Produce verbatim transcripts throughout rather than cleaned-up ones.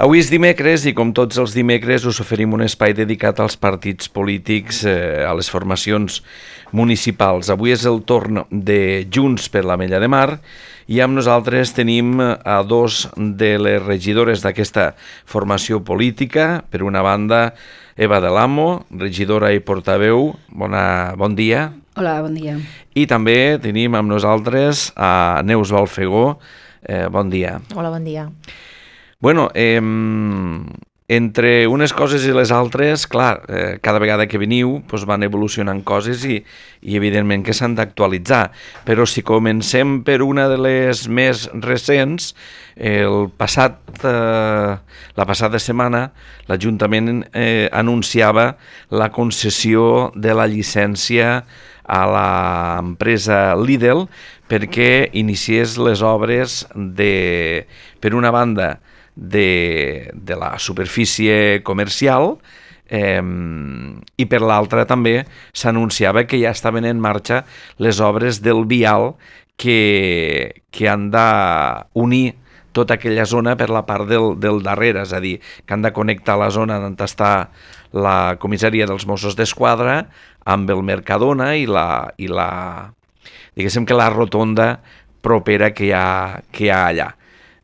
Avui és dimecres i com tots els dimecres us oferim un espai dedicat als partits polítics, eh, a les formacions municipals. Avui és el torn de Junts per l'Ametlla de Mar i amb nosaltres tenim a dos de les regidores d'aquesta formació política. Per una banda, Eva de l'Amo, regidora i portaveu. Bona, bon dia. Hola, bon dia. I també tenim amb nosaltres a Neus Balfegó. Eh, bon dia. Hola, bon dia. Bueno, eh, entre unes coses i les altres, clar, eh, cada vegada que veniu doncs van evolucionant coses i, i evidentment que s'han d'actualitzar. Però si comencem per una de les més recents, el passat, eh, la passada setmana l'Ajuntament eh, anunciava la concessió de la llicència a l'empresa Lidl perquè iniciés les obres de, per una banda, de, de la superfície comercial eh, i per l'altra també s'anunciava que ja estaven en marxa les obres del vial que, que han d'unir tota aquella zona per la part del, del darrere, és a dir, que han de connectar la zona on està la comissaria dels Mossos d'Esquadra amb el Mercadona i la, i la diguéssim que la rotonda propera que hi ha, que hi ha allà.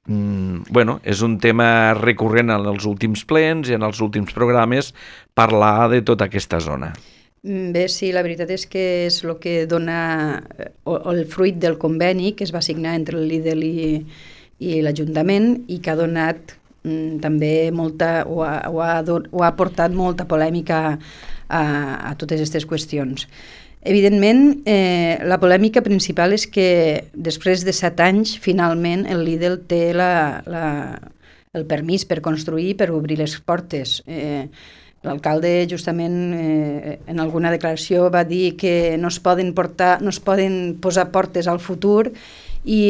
Mm, bueno, és un tema recurrent en els últims plens i en els últims programes parlar de tota aquesta zona. Bé, sí, la veritat és que és el que dona o, o el fruit del conveni que es va signar entre el Lidl i, i l'Ajuntament i que ha donat mm, també molta, o ha, o, ha, o ha portat molta polèmica a, a totes aquestes qüestions. Evidentment, eh, la polèmica principal és que després de set anys, finalment, el Lidl té la, la, el permís per construir, per obrir les portes. Eh, L'alcalde, justament, eh, en alguna declaració va dir que no es poden, portar, no es poden posar portes al futur i,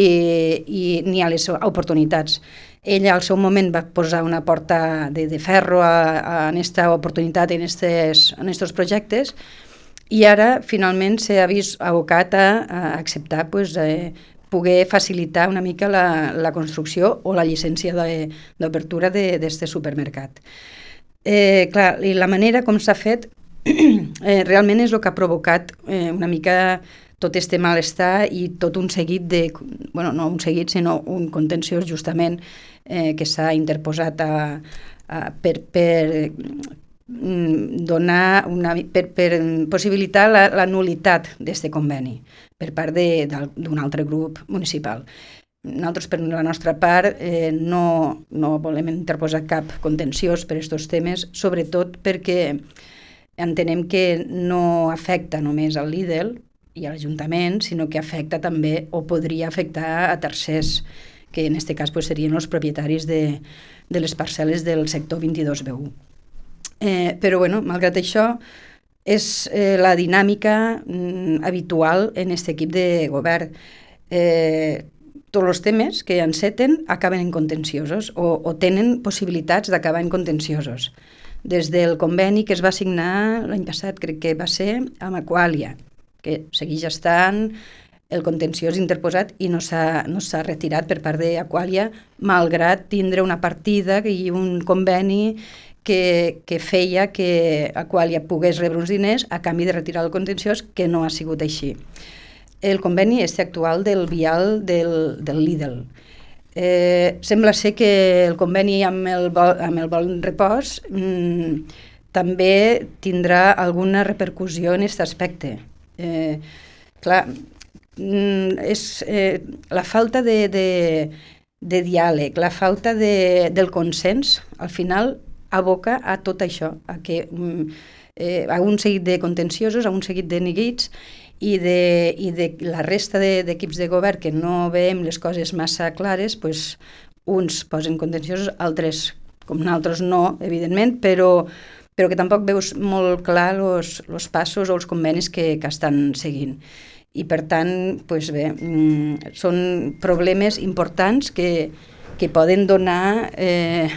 i ni a les oportunitats. Ella al seu moment va posar una porta de, de ferro a, a aquesta oportunitat en aquests projectes i ara finalment s'ha vist abocat a, a acceptar pues, eh, poder facilitar una mica la, la construcció o la llicència d'obertura d'aquest supermercat. Eh, clar, i la manera com s'ha fet eh, realment és el que ha provocat eh, una mica tot este malestar i tot un seguit de, bueno, no un seguit, sinó un contenciós justament eh, que s'ha interposat a, a, per, per donar una, per, per possibilitar la, la nulitat d'aquest conveni per part d'un altre grup municipal. Nosaltres, per la nostra part, eh, no, no volem interposar cap contenciós per aquests temes, sobretot perquè entenem que no afecta només al Lidl i a l'Ajuntament, sinó que afecta també o podria afectar a tercers, que en aquest cas pues, serien els propietaris de, de les parcel·les del sector vint-i-dos B u. Eh, però, bueno, malgrat això, és eh, la dinàmica mm, habitual en aquest equip de govern. Eh, tots els temes que enceten acaben en contenciosos o, o tenen possibilitats d'acabar en contenciosos. Des del conveni que es va signar l'any passat, crec que va ser amb Aqualia, que segueix estant el contenciós interposat i no s'ha no s'ha retirat per part d'Aqualia, malgrat tindre una partida i un conveni que, que feia que Aqualia pogués rebre uns diners a canvi de retirar el contenciós, que no ha sigut així. El conveni és actual del vial del, del Lidl. Eh, sembla ser que el conveni amb el, amb el Bon Repòs mmm, també tindrà alguna repercussió en aquest aspecte. Eh, clar, mm, és eh, la falta de, de, de diàleg, la falta de, del consens, al final aboca a tot això, a, que, eh, a un seguit de contenciosos, a un seguit de neguits i de, i de la resta d'equips de, de govern que no veiem les coses massa clares, pues, uns posen contenciosos, altres, com nosaltres no, evidentment, però, però que tampoc veus molt clar els passos o els convenis que, que estan seguint. I per tant, pues bé, mm, són problemes importants que, que poden donar... Eh,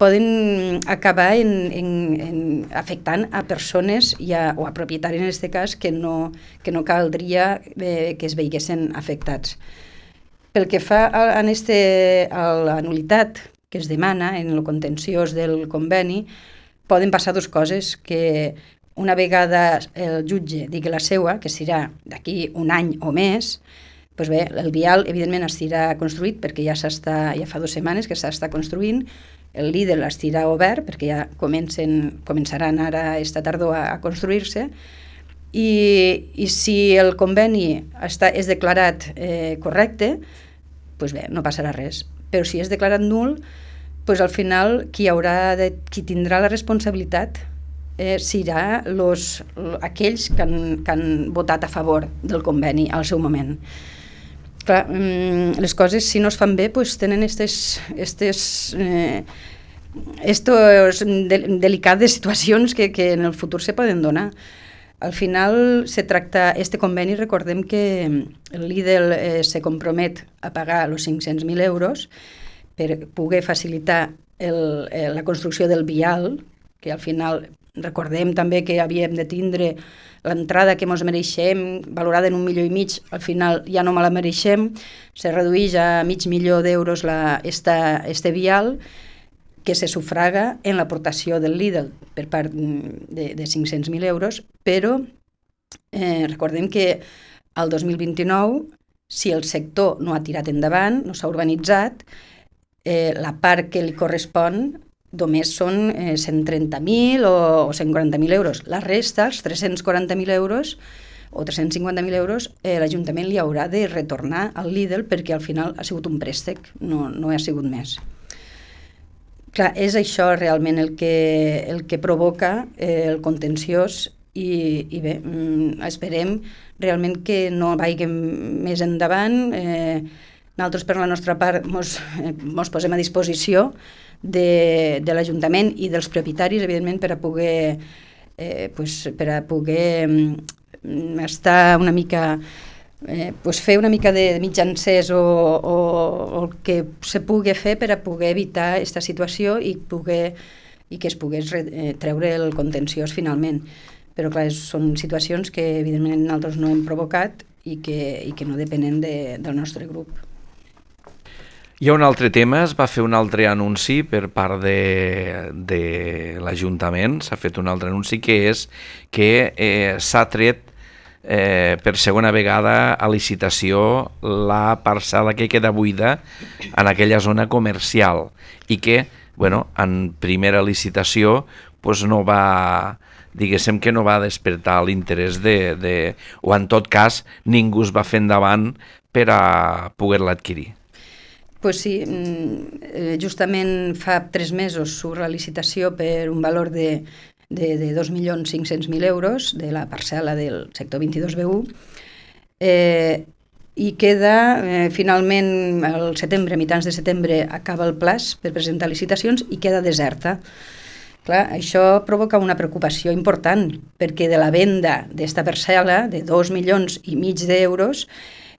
poden acabar en, en, en afectant a persones i a, o a propietaris en aquest cas que no, que no caldria eh, que es veiessin afectats. Pel que fa a, a, este, a la nulitat, que es demana en el contenciós del conveni, poden passar dues coses, que una vegada el jutge digui la seua, que serà d'aquí un any o més, doncs bé, el vial evidentment estirà construït perquè ja s'està, ja fa dues setmanes que s'està construint, el Lidl estirà obert perquè ja comencen, començaran ara esta tardor a, a construir-se, i, i si el conveni està, és declarat eh, correcte, doncs bé, no passarà res. Però si és declarat nul, doncs al final qui, haurà de, qui tindrà la responsabilitat eh, serà los, aquells que han, que han votat a favor del conveni al seu moment. Clar, les coses, si no es fan bé, doncs tenen estes, estes, eh, estos delicades situacions que, que en el futur se poden donar. Al final se tracta, este conveni, recordem que el Lidl eh, se compromet a pagar els cinc-cents mil euros per poder facilitar el, eh, la construcció del vial, que al final recordem també que havíem de tindre l'entrada que ens mereixem, valorada en un milió i mig, al final ja no me la mereixem, se redueix a mig milió d'euros la, esta, este vial, que se sufraga en l'aportació del Lidl per part de, de cinc-cents mil euros, però eh, recordem que al dos mil vint-i-nou, si el sector no ha tirat endavant, no s'ha urbanitzat, eh, la part que li correspon només són eh, cent trenta mil o, o cent quaranta mil euros. La resta, els tres-cents quaranta mil euros o tres-cents cinquanta mil euros, eh, l'Ajuntament li haurà de retornar al Lidl perquè al final ha sigut un préstec, no, no ha sigut més. Clar, és això realment el que, el que provoca eh, el contenciós i, i bé, mm, esperem realment que no vagi més endavant. Eh, nosaltres per la nostra part mos, eh, mos posem a disposició de, de l'Ajuntament i dels propietaris, evidentment, per a poder, eh, pues, per a poder mm, estar una mica... Eh, pues fer una mica de mitjancers o, o, o el que se pugui fer per a poder evitar aquesta situació i, poder, i que es pogués re, eh, treure el contenciós finalment. Però clar, són situacions que evidentment nosaltres no hem provocat i que, i que no depenen de, del nostre grup. Hi ha un altre tema, es va fer un altre anunci per part de, de l'Ajuntament, s'ha fet un altre anunci que és que eh, s'ha tret Eh, per segona vegada a licitació la parcel·la que queda buida en aquella zona comercial i que, bueno, en primera licitació pues no va, diguéssim que no va despertar l'interès de, de, o en tot cas ningú es va fer endavant per a poder-la adquirir. Pues sí, justament fa tres mesos surt la licitació per un valor de de, de dos milions cinc-cents mil euros de la parcel·la del sector vint-i-dos B u, eh, i queda, eh, finalment, al setembre, a mitjans de setembre, acaba el plaç per presentar licitacions i queda deserta. Clar, això provoca una preocupació important, perquè de la venda d'esta parcel·la, de dos milions i mig d'euros,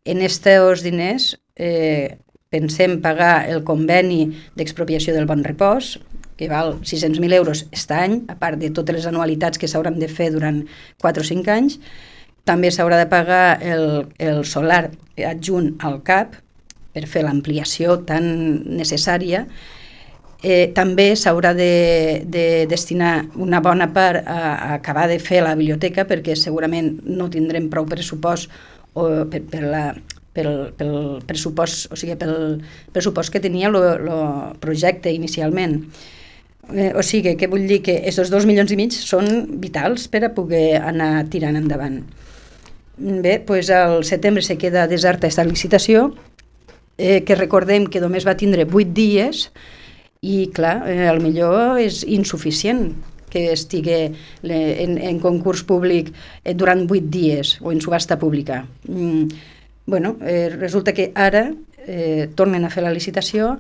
en aquests diners eh, pensem pagar el conveni d'expropiació del Bon Repòs, que val sis-cents mil euros aquest any, a part de totes les anualitats que s'hauran de fer durant quatre o cinc anys. També s'haurà de pagar el, el solar adjunt al C A P per fer l'ampliació tan necessària. Eh, també s'haurà de, de destinar una bona part a, a acabar de fer la biblioteca, perquè segurament no tindrem prou pressupost o per, per la pel, pel pressupost, o sigui, pel pressupost que tenia el projecte inicialment. Eh, o sigui, que vull dir que aquests dos milions i mig són vitals per a poder anar tirant endavant. Bé, doncs al setembre se queda deserta aquesta licitació, eh, que recordem que només va tindre vuit dies i, clar, eh, al millor és insuficient que estigui en, en concurs públic eh, durant vuit dies o en subhasta pública. Mm, bueno, eh, resulta que ara eh, tornen a fer la licitació,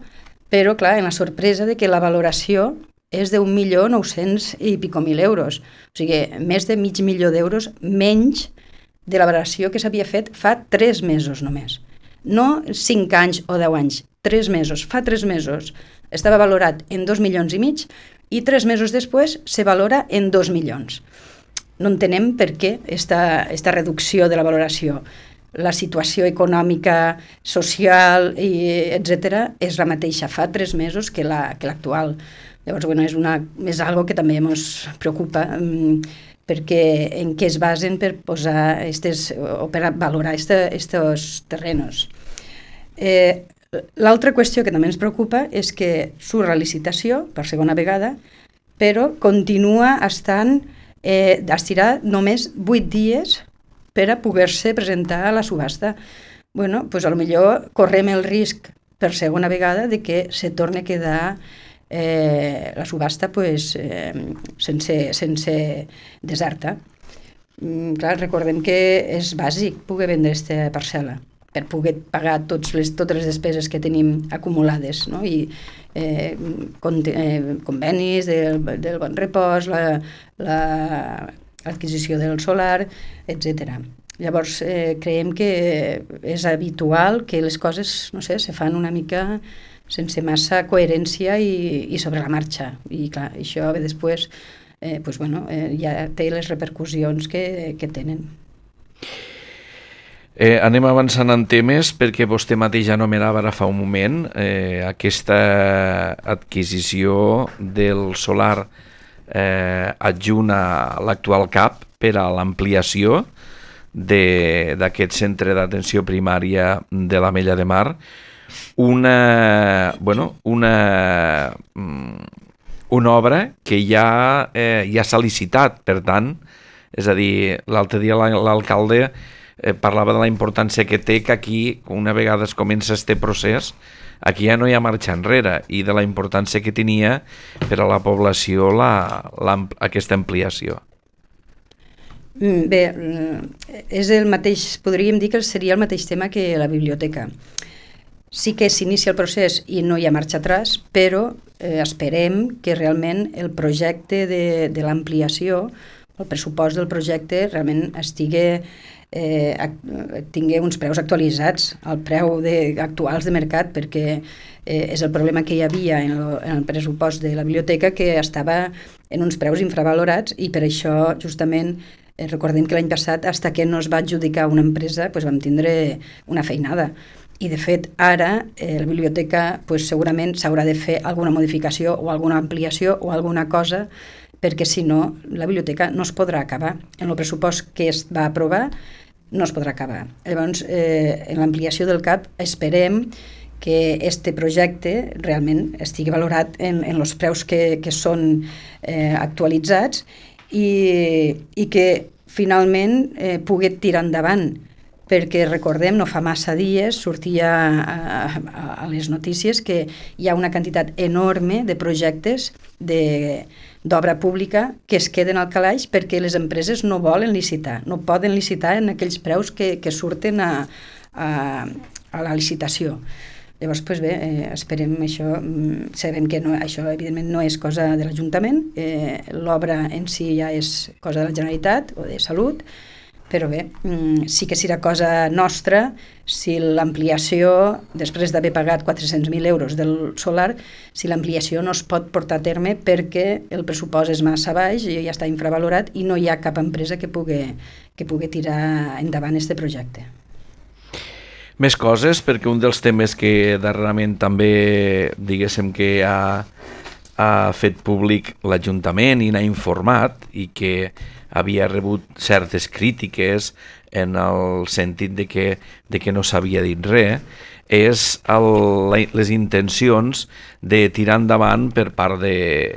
però, clar, en la sorpresa de que la valoració és d'un milió nou-cents i pico mil euros. O sigui, més de mig milió d'euros menys de la valoració que s'havia fet fa tres mesos només. No cinc anys o deu anys, tres mesos. Fa tres mesos estava valorat en dos milions i mig i tres mesos després se valora en dos milions. No entenem per què esta, esta reducció de la valoració. la situació econòmica, social, i etcètera, és la mateixa fa tres mesos que la, que l'actual. Llavors, bueno, és, una, és algo que també ens preocupa, perquè en què es basen per posar estes, o per valorar aquests terrenos. Eh, L'altra qüestió que també ens preocupa és que surt la licitació per segona vegada, però continua estant eh, estirar només vuit dies per a poder-se presentar a la subhasta. Bueno, doncs a lo millor correm el risc per segona vegada de que se torni a quedar eh, la subhasta pues, eh, sense, sense deserta. Mm, clar, recordem que és bàsic poder vendre aquesta parcel·la per poder pagar tots les, totes les despeses que tenim acumulades, no? I eh, con, eh, convenis del, del bon repòs, l'adquisició la, la, del solar, etcètera. Llavors, eh, creiem que és habitual que les coses, no sé, se fan una mica sense massa coherència i, i sobre la marxa. I clar, això després eh, pues, bueno, eh, ja té les repercussions que, que tenen. Eh, anem avançant en temes perquè vostè mateix anomenava ara fa un moment eh, aquesta adquisició del solar eh, adjunt a l'actual C A P per a l'ampliació d'aquest centre d'atenció primària de l'Ametlla de Mar, una, bueno, una, una obra que ja, eh, ja s'ha licitat, per tant, és a dir, l'altre dia l'alcalde Eh, parlava de la importància que té que aquí, una vegada es comença este procés, aquí ja no hi ha marxa enrere, i de la importància que tenia per a la població la, la, aquesta ampliació. Bé, és el mateix, podríem dir que seria el mateix tema que la biblioteca. Sí que s'inicia el procés i no hi ha marxa atràs, però eh, esperem que realment el projecte de, de l'ampliació, el pressupost del projecte realment estigui Eh, tingui uns preus actualitzats al preu de, actuals de mercat, perquè eh, és el problema que hi havia en, lo, en el pressupost de la biblioteca, que estava en uns preus infravalorats, i per això justament eh, recordem que l'any passat, fins que no es va adjudicar una empresa, pues, vam tindre una feinada. I de fet ara eh, la biblioteca pues, segurament s'haurà de fer alguna modificació o alguna ampliació o alguna cosa, perquè si no la biblioteca no es podrà acabar. En el pressupost que es va aprovar no es podrà acabar. Llavors, eh, en l'ampliació del C A P esperem que este projecte realment estigui valorat en, en els preus que, que són eh, actualitzats i, i que finalment eh, pugui tirar endavant, perquè recordem, no fa massa dies sortia a, a, a les notícies que hi ha una quantitat enorme de projectes de d'obra pública que es queden al calaix perquè les empreses no volen licitar, no poden licitar en aquells preus que, que surten a, a, a la licitació. Llavors, doncs bé, eh, esperem això, sabem que no, això evidentment no és cosa de l'Ajuntament, eh, l'obra en si ja és cosa de la Generalitat o de Salut, però bé, sí que serà cosa nostra si l'ampliació, després d'haver pagat quatre-cents mil euros del solar, si l'ampliació no es pot portar a terme perquè el pressupost és massa baix i ja està infravalorat i no hi ha cap empresa que pugui, que pugui tirar endavant aquest projecte. Més coses, perquè un dels temes que darrerament també, diguéssim, que ha, ha fet públic l'Ajuntament i n'ha informat i que havia rebut certes crítiques en el sentit de que, de que no s'havia dit res, és el, les intencions de tirar endavant per part, de,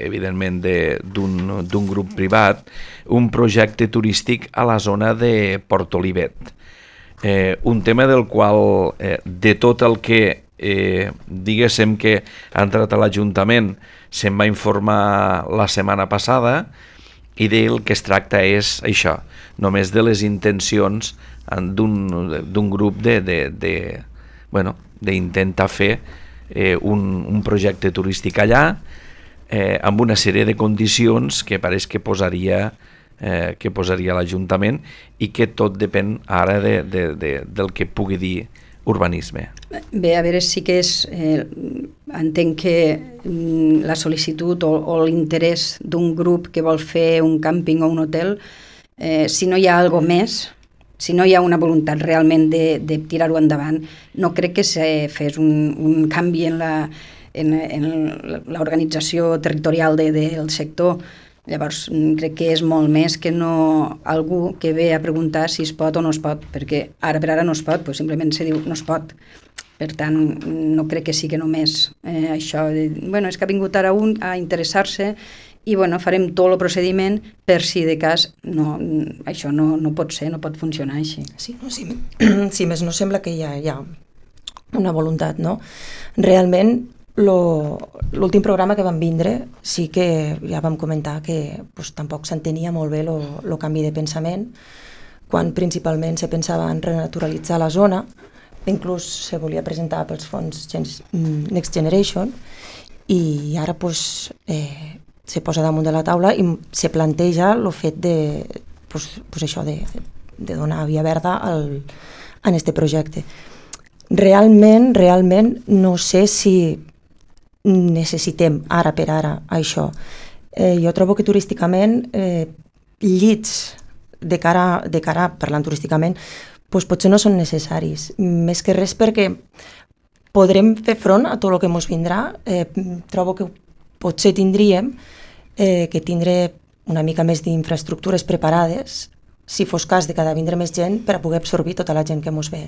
evidentment, d'un grup privat, un projecte turístic a la zona de Port Olivet. Eh, un tema del qual, eh, de tot el que, eh, diguéssim que ha entrat a l'Ajuntament, se'n va informar la setmana passada, i del que es tracta és això, només de les intencions d'un grup de, de, de, bueno, d'intentar fer eh, un, un projecte turístic allà eh, amb una sèrie de condicions que pareix que posaria, eh, que posaria l'Ajuntament i que tot depèn ara de, de, de, del que pugui dir urbanisme. Bé, a veure, sí que és... Eh, entenc que mm, la sol·licitud o, o l'interès d'un grup que vol fer un càmping o un hotel, eh, si no hi ha alguna més, si no hi ha una voluntat realment de, de tirar-ho endavant, no crec que se fes un, un canvi en la en, en l'organització territorial de, del sector. Llavors, crec que és molt més que no algú que ve a preguntar si es pot o no es pot, perquè ara per ara no es pot, doncs simplement se diu no es pot. Per tant, no crec que sigui només eh, això. De, bueno, és que ha vingut ara un a interessar-se i bueno, farem tot el procediment per si de cas no, això no, no pot ser, no pot funcionar així. Sí, no, sí, sí, més no sembla que hi ha, hi ha una voluntat, no? Realment, l'últim programa que vam vindre sí que ja vam comentar que pues, tampoc s'entenia molt bé el canvi de pensament, quan principalment se pensava en renaturalitzar la zona, inclús se volia presentar pels fons Next Generation, i ara pues, eh, se posa damunt de la taula i se planteja el fet de, pues, pues això, de, de donar via verda al, en este projecte. Realment, realment no sé si necessitem ara per ara això. Eh, jo trobo que turísticament eh, llits de cara, de cara parlant turísticament, doncs potser no són necessaris. Més que res perquè podrem fer front a tot el que ens vindrà. Eh, trobo que potser tindríem eh, que tindre una mica més d'infraestructures preparades si fos cas de cada vindre més gent per a poder absorbir tota la gent que ens ve.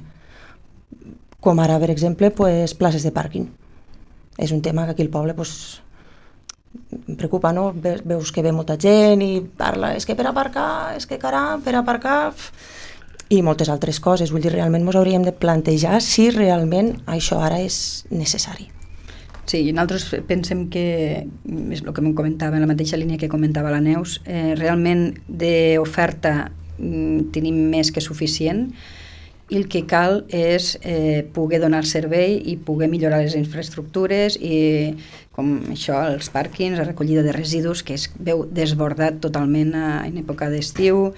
Com ara, per exemple, pues, places de pàrquing. És un tema que aquí al poble pues, em preocupa, no? Veus que ve molta gent i parla, és que per aparcar, és que caram, per aparcar... i moltes altres coses. Vull dir, realment ens hauríem de plantejar si realment això ara és necessari. Sí, i nosaltres pensem que, és el que em comentava, en la mateixa línia que comentava la Neus, eh, realment d'oferta mm, tenim més que suficient, i el que cal és eh, poder donar servei i poder millorar les infraestructures i com això, els pàrquings, la recollida de residus, que es veu desbordat totalment a, en època d'estiu,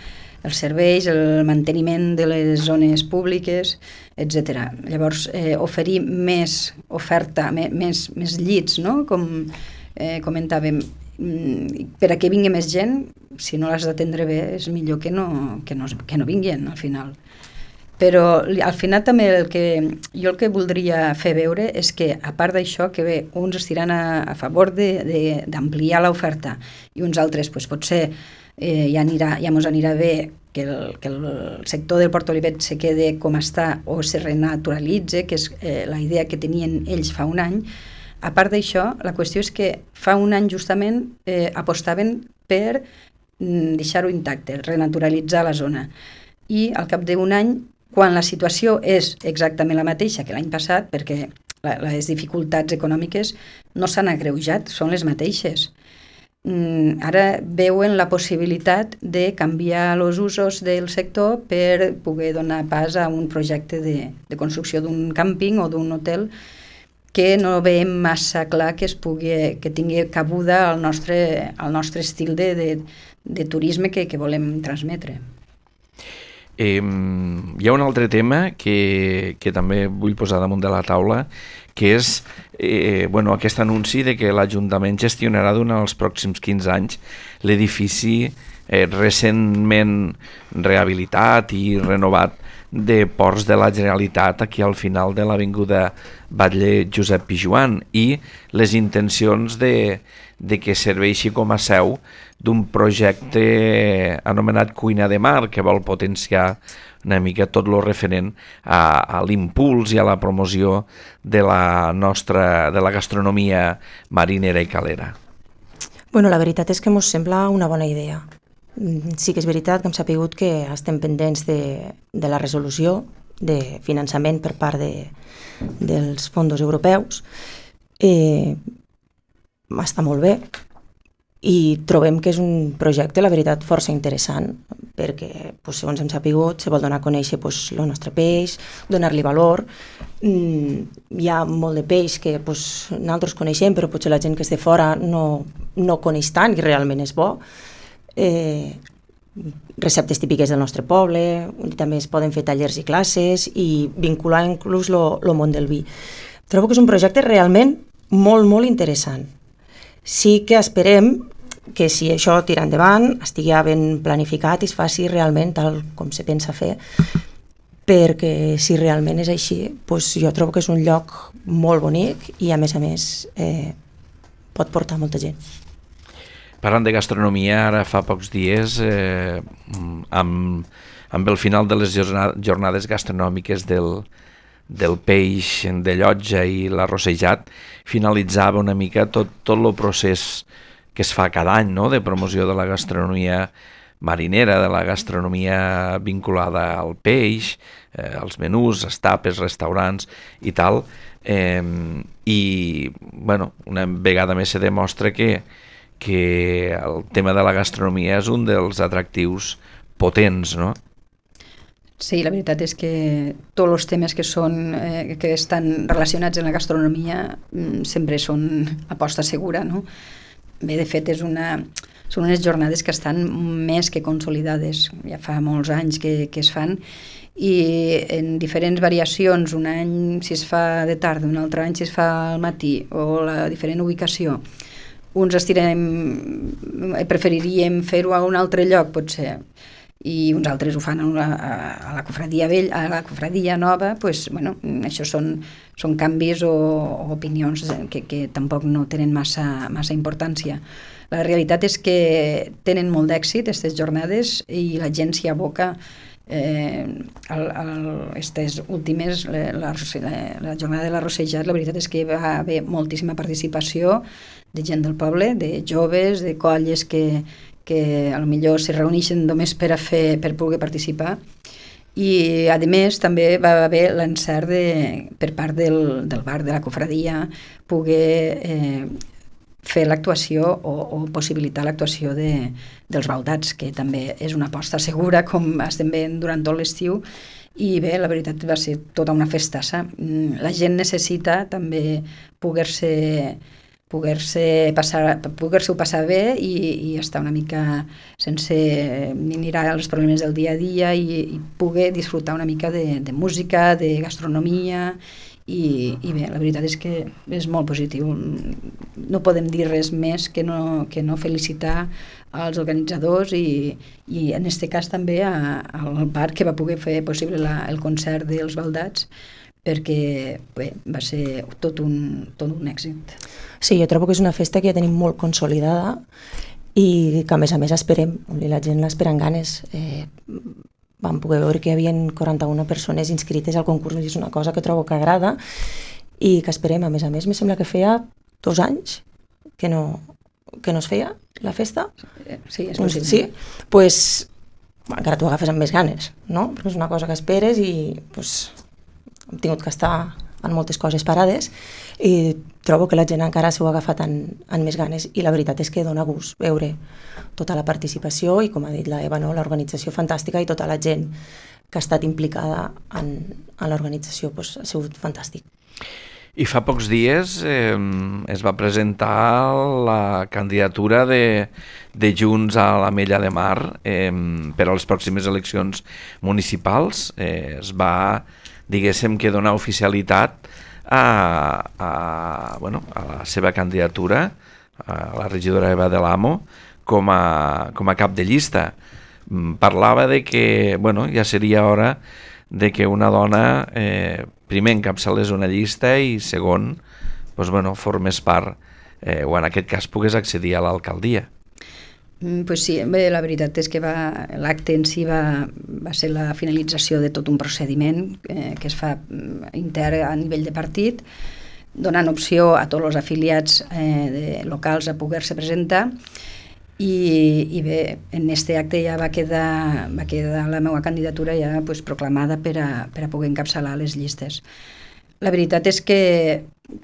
els serveis, el manteniment de les zones públiques, etcètera. Llavors, eh, oferir més oferta, més, més llits, no? Com eh, comentàvem, per a que vingui més gent, si no l'has d'atendre bé, és millor que no, que no, que no vinguin al final. Però al final també el que, jo el que voldria fer veure és que, a part d'això, que bé, uns estiran a, a favor d'ampliar l'oferta i uns altres, pues, potser eh, ja, anirà, ja mos anirà bé que el, que el sector del Port Olivet se quede com està o se renaturalitze, que és eh, la idea que tenien ells fa un any. A part d'això, la qüestió és que fa un any justament eh, apostaven per mm, deixar-ho intacte, renaturalitzar la zona. I al cap d'un any, quan la situació és exactament la mateixa que l'any passat, perquè la, les dificultats econòmiques no s'han agreujat, són les mateixes. Mm, ara veuen la possibilitat de canviar els usos del sector per poder donar pas a un projecte de, de construcció d'un càmping o d'un hotel que no veiem massa clar que es pugui, que tingui cabuda al nostre, al nostre estil de, de, de turisme que, que volem transmetre. Eh, hi ha un altre tema que, que també vull posar damunt de la taula, que és eh, bueno, aquest anunci de que l'Ajuntament gestionarà durant els pròxims quinze anys l'edifici eh, recentment rehabilitat i renovat de Ports de la Generalitat aquí al final de l'avinguda Batlle Josep Pijoan, i les intencions de, de que serveixi com a seu d'un projecte anomenat Cuina de Mar, que vol potenciar una mica tot lo referent a, a l'impuls i a la promoció de la nostra, de la gastronomia marinera i calera. Bueno, la veritat és que ens sembla una bona idea. Sí que és veritat que hem sapigut que estem pendents de, de la resolució de finançament per part de, dels fons europeus. Eh, està molt bé i trobem que és un projecte, la veritat, força interessant, perquè, pues, segons hem sapigut, se vol donar a conèixer pues, el nostre peix, donar-li valor. Mm, hi ha molt de peix que pues, nosaltres coneixem, però potser la gent que és de fora no, no coneix tant i realment és bo. Eh, receptes típiques del nostre poble, també es poden fer tallers i classes i vincular inclús el món del vi. Trobo que és un projecte realment molt, molt interessant. Sí que esperem que si això tira endavant estigui ja ben planificat i es faci realment tal com se pensa fer, perquè si realment és així, doncs jo trobo que és un lloc molt bonic i a més a més eh, pot portar molta gent. Parlant de gastronomia, ara fa pocs dies, eh, amb, amb el final de les jornades gastronòmiques del, del peix de llotja i l'arrossejat, finalitzava una mica tot, tot el procés que es fa cada any, no?, de promoció de la gastronomia marinera, de la gastronomia vinculada al peix, eh, als menús, les tapes, restaurants i tal, eh, i bueno, una vegada més se demostra que, que el tema de la gastronomia és un dels atractius potents, no? Sí, la veritat és que tots els temes que, són, eh, que estan relacionats amb la gastronomia sempre són aposta segura, no? Bé, de fet, és una, són unes jornades que estan més que consolidades. Ja fa molts anys que, que es fan i en diferents variacions, un any si es fa de tarda, un altre any si es fa al matí o la diferent ubicació. Uns estirem, preferiríem fer-ho a un altre lloc, potser, i uns altres ho fan a, la, a la cofradia vell, a la cofradia nova, pues, bueno, això són, són canvis o, o opinions que, que tampoc no tenen massa, massa importància. La realitat és que tenen molt d'èxit aquestes jornades i la gent s'hi aboca. Eh, el, el, aquestes últimes, la, la, la jornada de l'arrossejat, la veritat és que va haver moltíssima participació de gent del poble, de joves, de colles que que a lo millor se reuneixen només per a fer, per poder participar, i a més també va haver l'encert de, per part del, del bar de la cofradia poder eh, fer l'actuació o, o possibilitar l'actuació de, dels baldats, que també és una aposta segura, com estem veient durant tot l'estiu, i bé, la veritat va ser tota una festassa. La gent necessita també poder-se poder-se passar, poder-se-ho passar bé i, i estar una mica sense mirar els problemes del dia a dia i, i poder disfrutar una mica de, de música, de gastronomia i, i bé, la veritat és que és molt positiu. No podem dir res més que no, que no felicitar als organitzadors i, i en aquest cas també a, al bar que va poder fer possible la, el concert dels baldats, perquè bé, va ser tot un, tot un èxit. Sí, jo trobo que és una festa que ja tenim molt consolidada i que a més a més esperem, la gent l'espera amb ganes. Eh, vam poder veure que hi havia quaranta-una persones inscrites al concurs i és una cosa que trobo que agrada i que esperem. A més a més, me sembla que feia dos anys que no, que no es feia la festa. Sí, és possible. Sí, doncs pues, encara t'ho agafes amb més ganes, no? Perquè és una cosa que esperes i pues, hem tingut que estar en moltes coses parades i trobo que la gent encara s'ho ha agafat en, en més ganes i la veritat és que dona gust veure tota la participació i, com ha dit la Eva, no? L'organització fantàstica i tota la gent que ha estat implicada en, en l'organització, pues, ha sigut fantàstic. I fa pocs dies eh, es va presentar la candidatura de, de Junts a l'Ametlla de Mar eh, per a les pròximes eleccions municipals. Eh, es va, diguéssim, que donar oficialitat a, a, bueno, a la seva candidatura, a la regidora Eva de l'Amo, com a, com a cap de llista. Parlava de que bueno, ja seria hora de que una dona eh, primer encapçalés una llista i segon doncs, bueno, formés part eh, o en aquest cas pogués accedir a l'alcaldia. Mm, pues sí, bé, la veritat és que va, l'acte en si va, va ser la finalització de tot un procediment eh, que es fa intern a nivell de partit, donant opció a tots els afiliats eh, de, locals a poder-se presentar. I, i bé, en aquest acte ja va quedar, va quedar la meva candidatura ja pues, proclamada per a, per a poder encapçalar les llistes. La veritat és que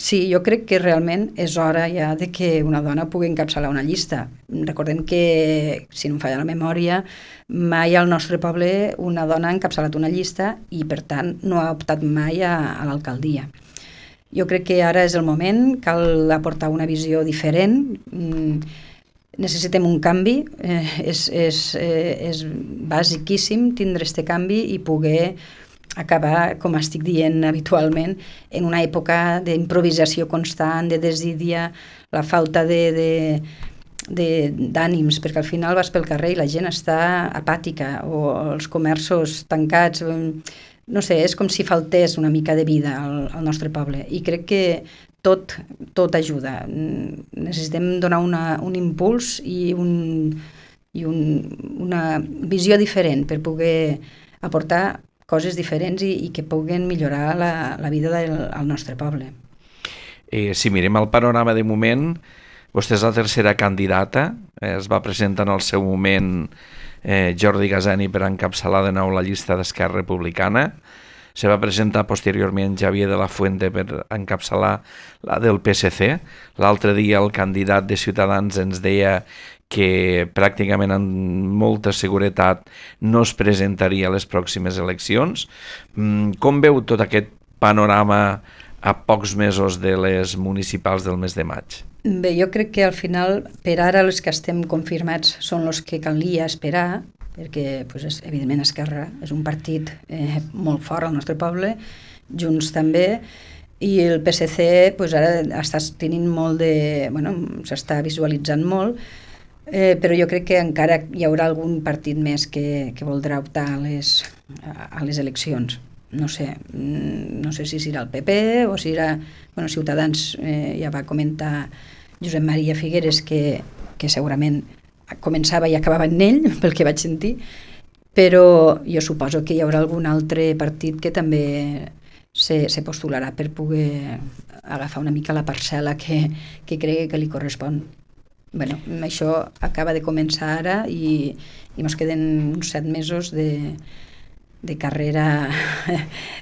sí, jo crec que realment és hora ja de que una dona pugui encapçalar una llista. Recordem que, si no em falla la memòria, mai al nostre poble una dona ha encapçalat una llista i per tant no ha optat mai a, a l'alcaldia. Jo crec que ara és el moment, cal aportar una visió diferent. Necessitem un canvi, eh, és, és, eh, és basiquíssim tindre aquest canvi i poder acabar, com estic dient habitualment, en una època d'improvisació constant, de desídia, la falta de, de, d'ànims, perquè al final vas pel carrer i la gent està apàtica, o els comerços tancats, no sé, és com si faltés una mica de vida al, al nostre poble, i crec que tot, tot ajuda. Necessitem donar una, un impuls i, un, i un, una visió diferent per poder aportar coses diferents i, i que puguen millorar la, la vida del al nostre poble. Eh, si mirem el panorama de moment, vostè és la tercera candidata, eh, es va presentar en el seu moment eh, Jordi Gazani per encapçalar de nou la llista d'Esquerra Republicana, se va presentar posteriorment Javier de la Fuente per encapçalar la del P S C. L'altre dia el candidat de Ciutadans ens deia que pràcticament amb molta seguretat no es presentaria a les pròximes eleccions. Com veu tot aquest panorama a pocs mesos de les municipals del mes de maig? Bé, jo crec que al final, per ara, els que estem confirmats són els que calia esperar, perquè, pues, evidentment, Esquerra és un partit eh, molt fort al nostre poble, Junts també, i el P S C pues, ara està tenint molt de... Bueno, s'està visualitzant molt, eh, però jo crec que encara hi haurà algun partit més que, que voldrà optar a les, a les eleccions. No sé, no sé si serà el P P o si serà... Bueno, Ciutadans eh, ja va comentar Josep Maria Figueres que, que segurament començava i acabava en ell, pel que vaig sentir, però jo suposo que hi haurà algun altre partit que també se, se postularà per poder agafar una mica la parcel·la que, que cregui que li correspon. Bueno, això acaba de començar ara i, i ens queden uns set mesos de, de carrera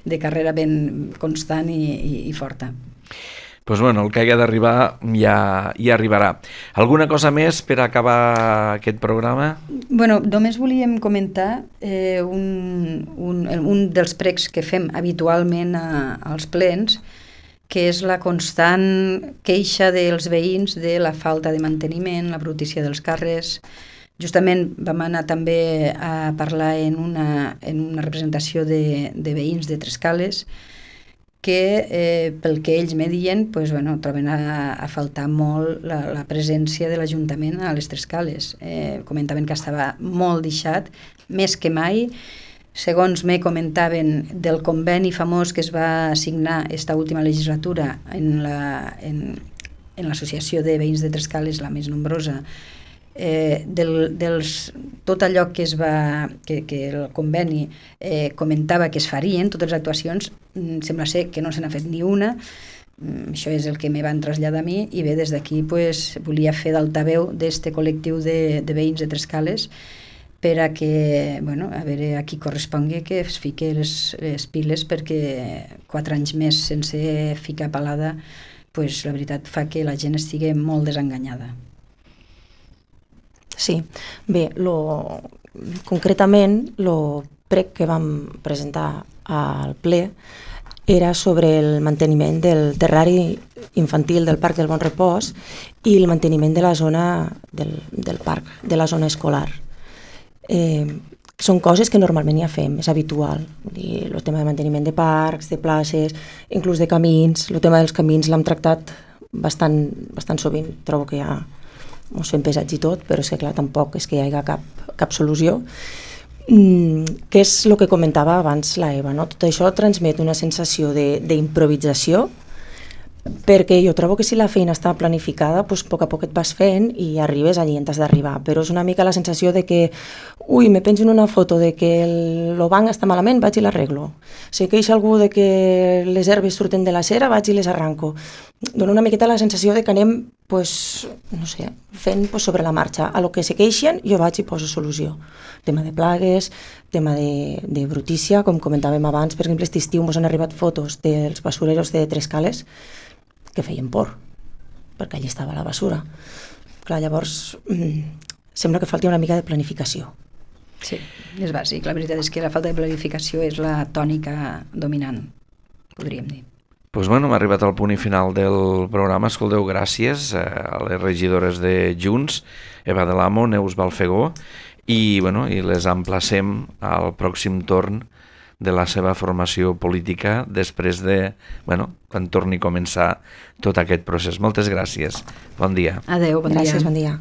de carrera ben constant i, i, i forta. Doncs bueno, el que hagi d'arribar ja, ja arribarà. Alguna cosa més per acabar aquest programa? Bueno, només volíem comentar eh, un, un, un dels pregs que fem habitualment a, als plens, que és la constant queixa dels veïns de la falta de manteniment, la brutícia dels carrers. Justament vam anar també a parlar en una, en una representació de, de veïns de Trescales, que eh, pel que ells me diuen pues, bueno, troben a, a faltar molt la, la presència de l'Ajuntament a les Trescales. Eh, comentaven que estava molt deixat, més que mai. Segons me comentaven del conveni famós que es va signar esta última legislatura en la, en, en l'associació de veïns de Trescales, la més nombrosa, Eh, del, dels, tot allò que es va que, que el conveni eh, comentava que es farien, totes les actuacions, mm, sembla ser que no se n'ha fet ni una. Mm, això és el que me van traslladar a mi, i bé, des d'aquí pues, volia fer d'altaveu d'este col·lectiu de, de veïns de Trescales per a que, bueno, a veure a qui correspongui que es fiqui les, les piles, perquè quatre anys més sense ficar palada, pues, la veritat fa que la gent estigui molt desenganyada. Sí, bé, lo, concretament el prec que vam presentar al ple era sobre el manteniment del terrari infantil del Parc del Bon Repòs i el manteniment de la zona del, del parc, de la zona escolar. Eh, són coses que normalment ja fem, és habitual. El tema de manteniment de parcs, de places, inclús de camins. El tema dels camins l'hem tractat bastant, bastant sovint, trobo que ja ens fem pesats i tot, però és que clar, tampoc és que hi hagi cap, cap solució. Mm, que és el que comentava abans la Eva, no? Tot això transmet una sensació d'improvisació, perquè jo trobo que si la feina està planificada, doncs, a poc a poc et vas fent i arribes allí on has d'arribar, però és una mica la sensació de que ui, me penjo en una foto de que el, el banc està malament, vaig i l'arreglo. Si queixa algú de que les herbes surten de la cera, vaig i les arranco. Dona una miqueta la sensació de que anem pues, no sé, fent pues, sobre la marxa. A lo que se queixen jo vaig i poso solució. Tema de plagues, tema de, de brutícia, com comentàvem abans, per exemple, aquest estiu ens han arribat fotos dels basureros de Trescales que feien por, perquè allà estava la basura. Clar, llavors, mmm, sembla que falti una mica de planificació. Sí, és bàsic. La veritat és que la falta de planificació és la tònica dominant, podríem dir. Doncs bueno, hem arribat al punt i final del programa. Escolteu, gràcies a les regidores de Junts, Eva de l'Amo, Neus Balfegó, i, bueno, i les emplacem al pròxim torn de la seva formació política després de, bueno, quan torni a començar tot aquest procés. Moltes gràcies. Bon dia. Adéu, bon dia. Gràcies, bon dia.